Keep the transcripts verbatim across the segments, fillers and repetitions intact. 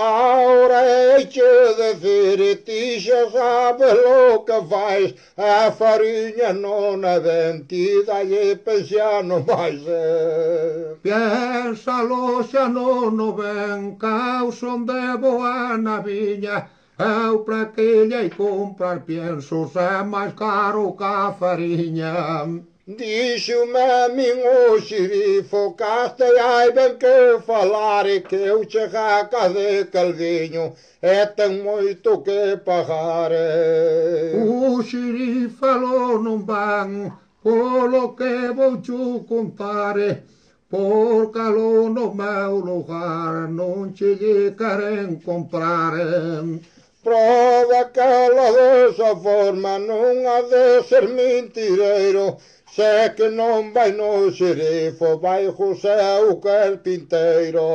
Ahora hay que decir, ti xa sabes lo que fais, a fariña non é vendida e pensiano máis é. Piénsalo xa non o ven, causon de boa na viña, eu para que lle comprar piensos é máis caro que a fariña. Dixo-me a min o xerifo, castei hai ben que falar e que eu chega a casa de Calviño e ten moito que pagar. O xerife falou non van, polo que vou chu contar, por calo no meu lugar non che lle queren comprar. Prova que ela desa forma non ha de ser mentireiro, se que non vai no xerifo, vai José o carpinteiro.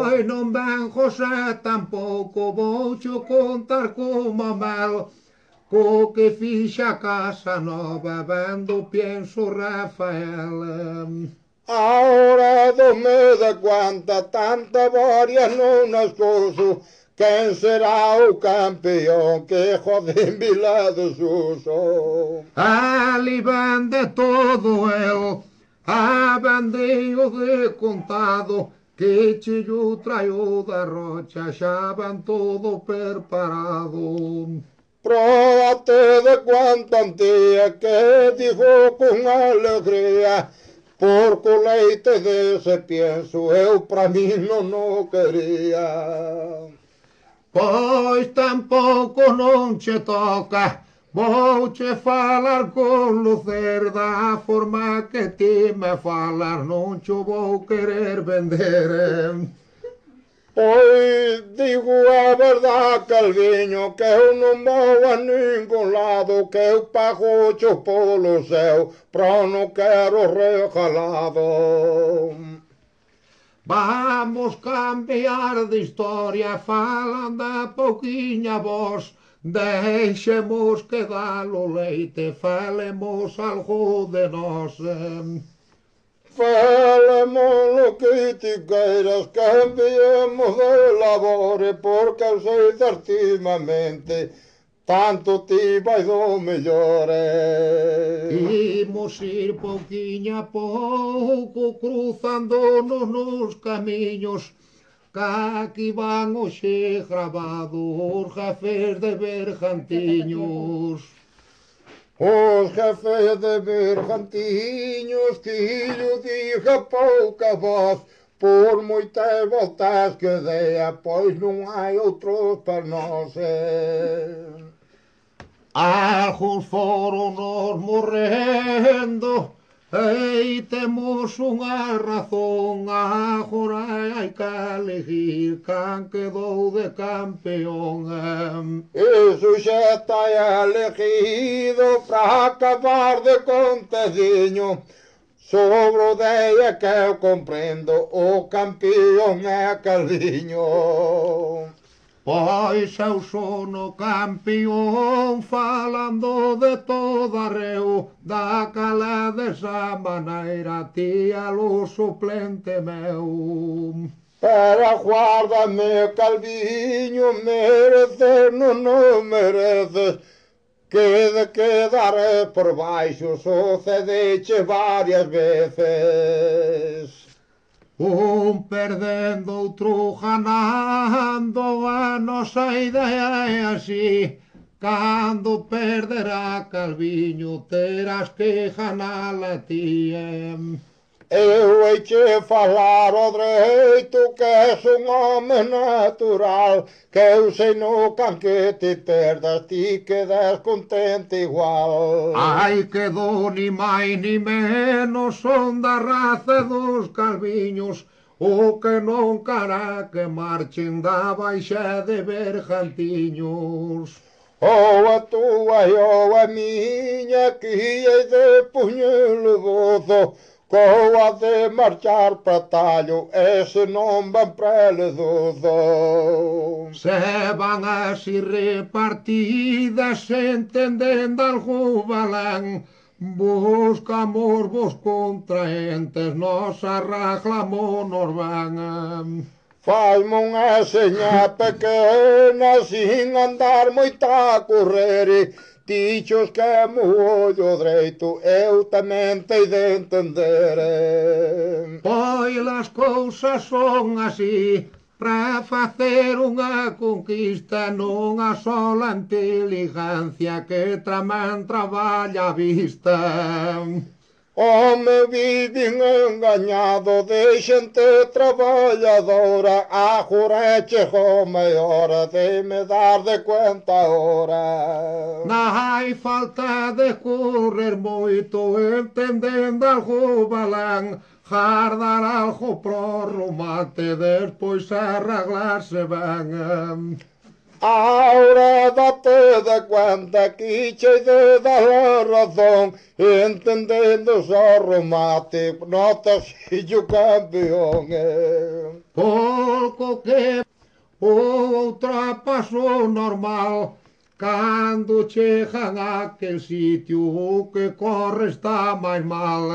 Ai, non ven José tampouco, vou cho contar como mel, co que fixa a casa nova, vendo pienso Rafael. Ahora do me da cuanta tanta varia non as couso, quen será o campeón que joden Vila do Suso? Ali vende todo el, a vendeio de contado, que chillo traio da rocha, xa van todo preparado. Próbate de cuanta antía que digo con alegría, porque o leite dese pienso eu pra mí non o quería. Pois tampouco non che toca, vou che falar con lucer da forma que ti me falas, non cho vou querer vender. Pois digo a verdade, Calviño, que eu non vou a ningún lado, que eu pago cho polo céu, pero non quero regalado. Vamos cambiar de historia, falando a pouquiña voz, deixemos quedar o leite, falemos algo de nós. Falemos lo que ti queiras, cambiemos de labore, porque eu sei certimamente, tanto ti vai do mellor. Imos ir pouquiña a pouco, cruzándonos nos camiños, que aquí van hoxe gravados os jefes de Bergantiños. Os jefes de Bergantiños que llo diga pouca voz, por moitas voltas que dea, pois non hai outros para nós. Algúns foron nos morrendo, e temos unha razón, agora hai que elegir can quedou de campeón. Iso xa está elegido para acabar de contadiño, sobre o día que eu comprendo, o campeón é Calviño. Pois eu son o campeón, falando de toda reu, daquela desa maneira, ti alo suplente meu. Pero aguárdame, Calviño, mereces non non mereces, que de quedar por baixo sucedeche varias veces. Un perdendo, outro ganando, a nosa idea é así, cando perderá Calviño, terás que ganala ti. Eu hei que falar o dereito, que és un home natural, que eu sei no can que te perdas, ti quedas contente igual. Ai, quedou ni máis ni menos, son da raza dos Calviños, o que non cara que marchen da baixa de Bergantiños. Ou a túa e ou a miña, que hei de puñelo dozo, coa de marchar para tallo, ese non van para ledozo. Se van así repartidas, entendendo algo valán, buscamos vos contraentes, nos arraglamos nos van. Faz-me unha seña pequena sin andar moito a correr. Dichos que é mo ollo dreito, eu tamén tei de entender. Pois as cousas son así, pra facer unha conquista non a sola inteligencia que traman traballa a vista. Home, viven engañado de xente traballadora, agora chegou a hora de me dar de cuenta ahora. Non hai falta de correr moito, entendendo algo balán, jardar algo pro remate, despois arreglarse ben. Ahora date de cuenta que che de dar la razón, entendendo só remate, notas fillo campeón. Pouco que outra paso normal, cando chegan a aquel sitio o que corre está máis mal.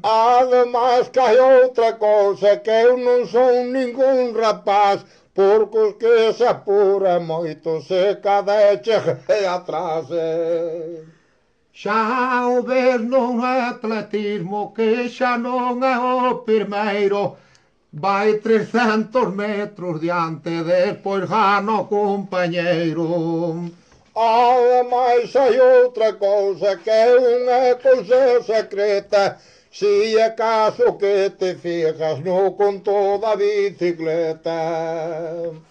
Ademais que hai outra cousa, que eu non son ningún rapaz, porque os que se apura moito se cada chegue atrás. Xa o ves non atletismo que xa non é o primeiro, vai trescentos metros diante, despois gana o compañeiro. Ademais hai outra cousa, que é unha cousa secreta, si acaso que te fijas no conto da bicicleta.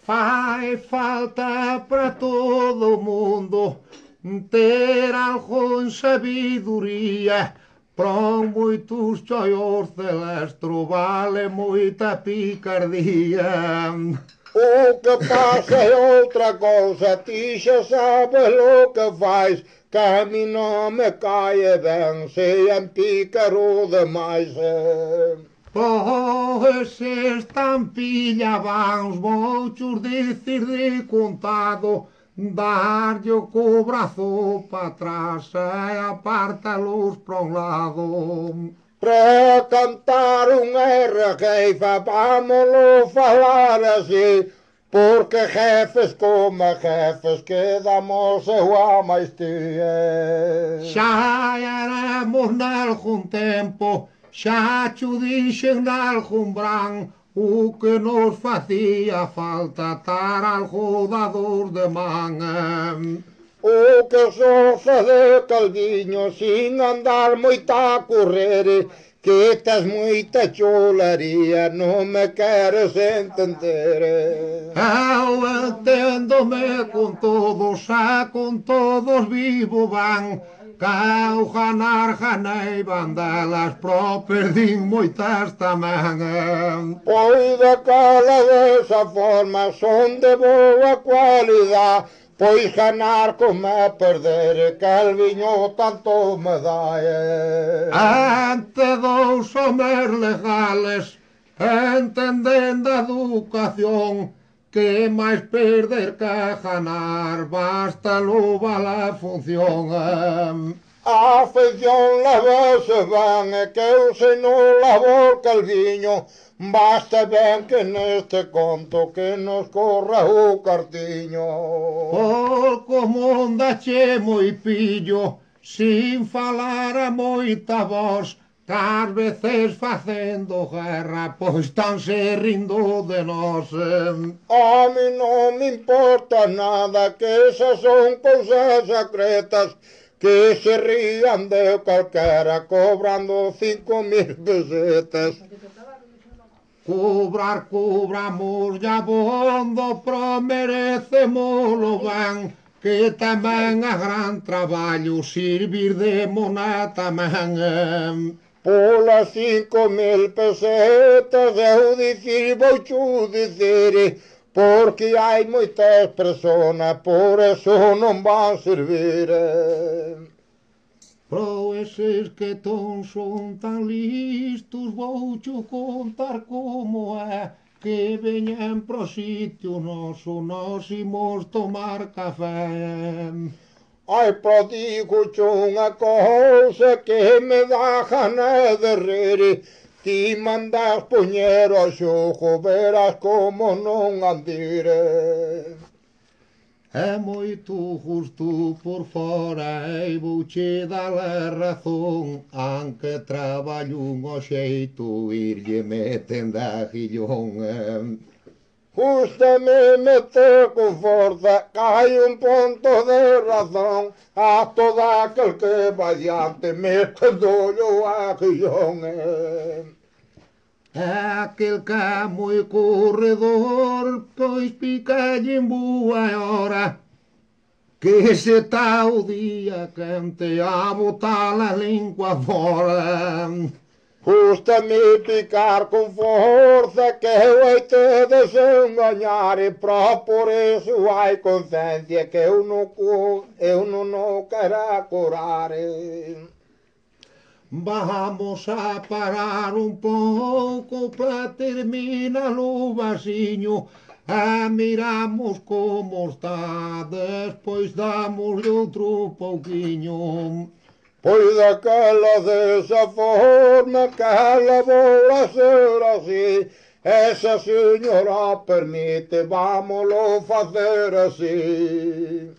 Fai falta para todo o mundo ter algo en sabiduría, para moitos choios celestro vale moita picardía. O que pasa é outra cousa, ti xa sabes lo que faz, que a mi non me cae ben, se en pícaro demais. Pois estampilla vans, vouchos dicir de contado, darlle co brazo pa atrás e apartalos pra un lado. Para cantar unha regueifa, vámolo falar así, porque jefes como jefes quedamos eu a máis ti. Xa éramos nalgún tempo, xa cho dixen nalgún bran, o que nos facía falta tar algo dados de man. O que só fazer calviño sin andar moito a correr, que tes moita cholaría, non me queres entender. Eu entendo-me con todos, xa con todos vivo van, que ao ganar ganei bandelas, pro perdín moitas tamén. Pois daquela desa forma son de boa cualidade, pois ganar como é perder, calviño tanto me dá. Ante dous homes legales, entendendo a educación, que máis perder que ganar, basta louvar a función. A afeición levase ben, e que eu sei no labor calviño, basta ben que neste conto que nos corra o cartiño. Por como andache moi pillo, sin falar a moita voz, ás veces facendo guerra, pois tan se rindo de nós. A mi non me importa nada, que esas son cousas secretas, que se rían de calquera cobrando cinco mil pesetas. Cobrar, cobramos ya bondo, pro merecemoslo ben, que tamén é gran traballo servir de mona tamén. Polas cinco mil pesetas eu dicir voucho dicir, porque hai moitas personas, por eso non van servir. Pro eses que ton son tan listos, voucho contar como é, que veñen pro sitio noso, nos imos tomar café. Ai, pro digo unha cousa que me dá gana de rir, ti mandas poñer o xogo, verás como non andire. É moito justo por fora e vouche dar a razón, aunque traballo un o xeito irlle metendo a guillón. Justame meter con forza, que hai un punto de razón, a todo aquel que vai diante metendo a guillón. É aquel que é moi corredor, pois picalle en boa hora, que se está o día quente a botar a lingua fora. Custa-me picar com força, que eu hei te desenganar, e para por isso ai consciência que eu não, eu não, não quero curar. Vamos a parar un pouco para terminar o vasinho, e miramos como está, despois damos outro pouquiño. Pois aquela dessa forma, aquela bola ser assim, essa senhora permite, vamos-lo fazer assim.